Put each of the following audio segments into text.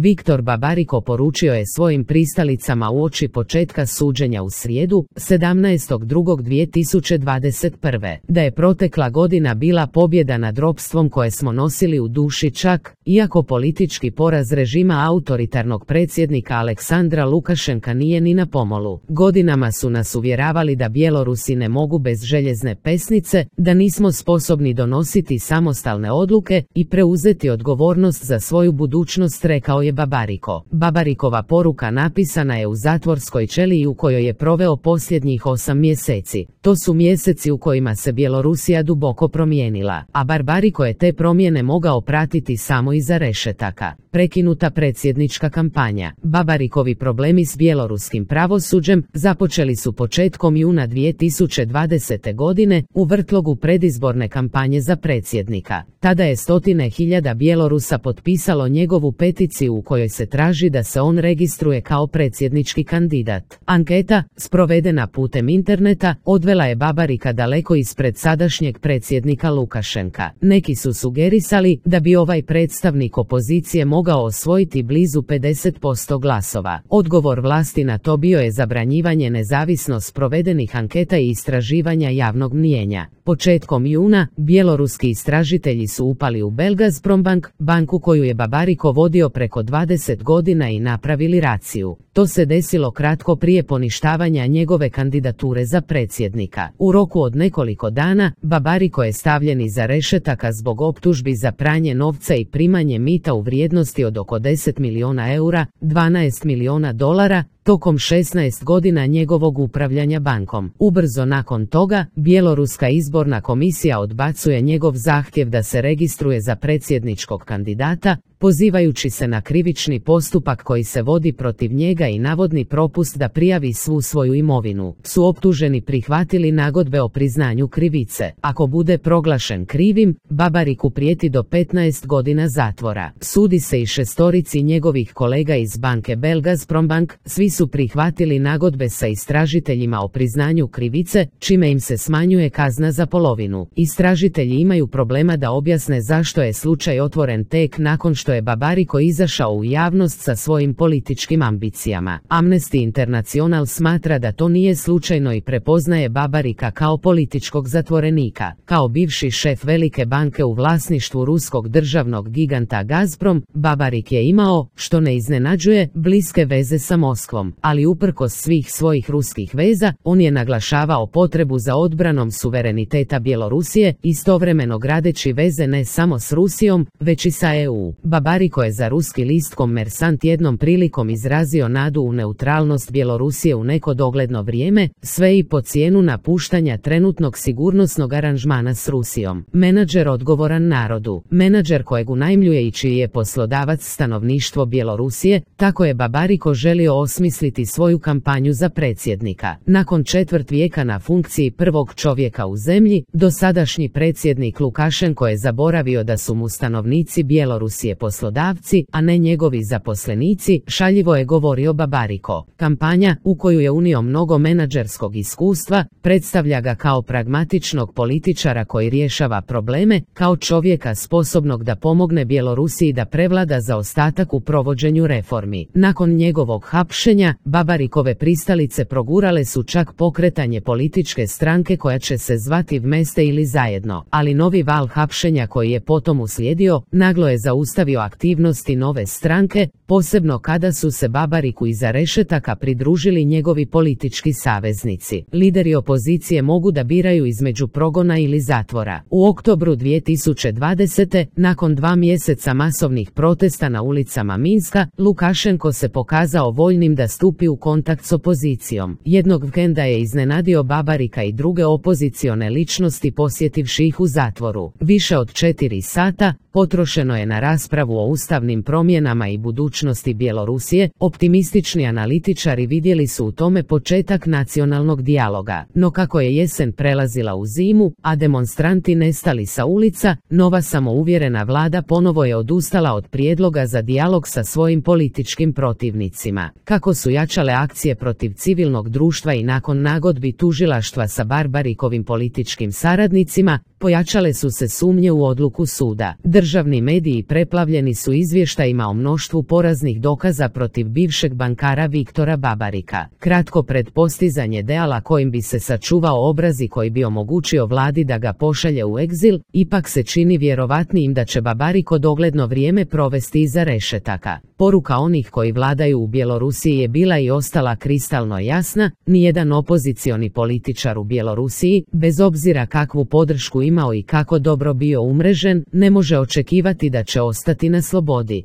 Viktor Babariko poručio je svojim pristalicama uoči početka suđenja u srijedu, 17.2.2021. da je protekla godina bila pobjeda nad ropstvom koje smo nosili u duši čak, iako politički poraz režima autoritarnog predsjednika Aleksandra Lukašenka nije ni na pomolu. Godinama su nas uvjeravali da Bjelorusi ne mogu bez željezne pesnice, da nismo sposobni donositi samostalne odluke i preuzeti odgovornost za svoju budućnost, rekao je Babariko. Babarikova poruka napisana je u zatvorskoj ćeliji u kojoj je proveo posljednjih 8 mjeseci. To su mjeseci u kojima se Bjelorusija duboko promijenila, a Babariko je te promjene mogao pratiti samo iza rešetaka. Prekinuta predsjednička kampanja. Babarikovi problemi s bjeloruskim pravosuđem započeli su početkom juna 2020. godine u vrtlogu predizborne kampanje za predsjednika. Tada je 100.000 Bjelorusa potpisalo njegovu peticiju u kojoj se traži da se on registruje kao predsjednički kandidat. Anketa, sprovedena putem interneta, odvela je Babarika daleko ispred sadašnjeg predsjednika Lukašenka. Neki su sugerisali da bi ovaj predstavnik opozicije mogao osvojiti blizu 50% glasova. Odgovor vlasti na to bio je zabranjivanje nezavisno sprovedenih anketa i istraživanja javnog mnijenja. Početkom juna, bjeloruski istražitelji su upali u Belgazprombank, banku koju je Babariko vodio preko 20 godina i napravili raciju. To se desilo kratko prije poništavanja njegove kandidature za predsjednika. U roku od nekoliko dana, Babariko je stavljen iza rešetaka zbog optužbi za pranje novca i primanje mita u vrijednosti od oko 10 milijuna eura, 12 milijuna dolara, tokom 16 godina njegovog upravljanja bankom. Ubrzo nakon toga, Bjeloruska izborna komisija odbacuje njegov zahtjev da se registruje za predsjedničkog kandidata, pozivajući se na krivični postupak koji se vodi protiv njega i navodni propust da prijavi svu svoju imovinu. Su optuženi prihvatili nagodbe o priznanju krivice. Ako bude proglašen krivim, Babariku prijeti do 15 godina zatvora. Sudi se i 6 njegovih kolega iz banke Belgazprombank, svi su prihvatili nagodbe sa istražiteljima o priznanju krivice, čime im se smanjuje kazna za polovinu. Istražitelji imaju problema da objasne zašto je slučaj otvoren tek nakon što je Babariko izašao u javnost sa svojim političkim ambicijama. Amnesty International smatra da to nije slučajno i prepoznaje Babarika kao političkog zatvorenika. Kao bivši šef velike banke u vlasništvu ruskog državnog giganta Gazprom, Babarik je imao, što ne iznenađuje, bliske veze sa Moskvom, ali uprkos svih svojih ruskih veza, on je naglašavao potrebu za odbranom suvereniteta Bjelorusije, istovremeno gradeći veze ne samo s Rusijom, već i sa EU. Babariko je za ruski list Kommersant jednom prilikom izrazio nadu u neutralnost Bjelorusije u neko dogledno vrijeme, sve i po cijenu napuštanja trenutnog sigurnosnog aranžmana s Rusijom. Menadžer odgovoran narodu. Menadžer kojeg unajmljuje i čiji je poslodavac stanovništvo Bjelorusije, tako je Babariko želio osmisliti svoju kampanju za predsjednika. Nakon četvrt vijeka na funkciji prvog čovjeka u zemlji, dosadašnji predsjednik Lukašenko je zaboravio da su mu stanovnici Bjelorusije poslodavci, a ne njegovi zaposlenici, šaljivo je govorio Babariko. Kampanja, u koju je unio mnogo menadžerskog iskustva, predstavlja ga kao pragmatičnog političara koji rješava probleme, kao čovjeka sposobnog da pomogne Bjelorusiji da prevlada zaostatak u provođenju reformi. Nakon njegovog hapšenja, Babarikove pristalice progurale su čak pokretanje političke stranke koja će se zvati Vmeste ili Zajedno, ali novi val hapšenja koji je potom uslijedio, naglo je zaustavio aktivnosti nove stranke, posebno kada su se Babariku iza rešetaka pridružili njegovi politički saveznici. Lideri opozicije mogu da biraju između progona ili zatvora. U oktobru 2020. nakon 2 mjeseca masovnih protesta na ulicama Minska, Lukašenko se pokazao voljnim da stupi u kontakt s opozicijom. Jednog vikenda je iznenadio Babarika i druge opozicione ličnosti posjetivši ih u zatvoru. Više od 4 sata potrošeno je na raspravu o ustavnim promjenama i budućnosti Bjelorusije, optimistični Optimistični analitičari vidjeli su u tome početak nacionalnog dijaloga, no kako je jesen prelazila u zimu, a demonstranti nestali sa ulica, nova samouvjerena vlada ponovo je odustala od prijedloga za dijalog sa svojim političkim protivnicima. Kako su jačale akcije protiv civilnog društva i nakon nagodbi tužilaštva sa Barbarikovim političkim saradnicima, pojačale su se sumnje u odluku suda. Državni mediji preplavljeni su izvještajima o mnoštvu poraznih dokaza protiv bivšeg bankara Viktora Babarika. Kratko pred postizanje ideala kojim bi se sačuvao obraz i koji bi omogućio vladi da ga pošalje u egzil, ipak se čini vjerovatnijim da će Babariko dogledno vrijeme provesti iza rešetaka. Poruka onih koji vladaju u Bjelorusiji je bila i ostala kristalno jasna: nijedan opozicioni političar u Bjelorusiji, bez obzira kakvu podršku imao i kako dobro bio umrežen, ne može očekivati da će ostati na slobodi.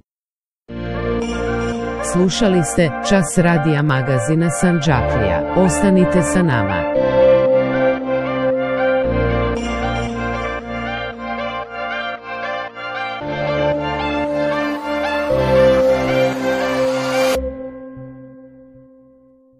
Slušali ste Čas radija magazina Sandžaklija. Ostanite sa nama.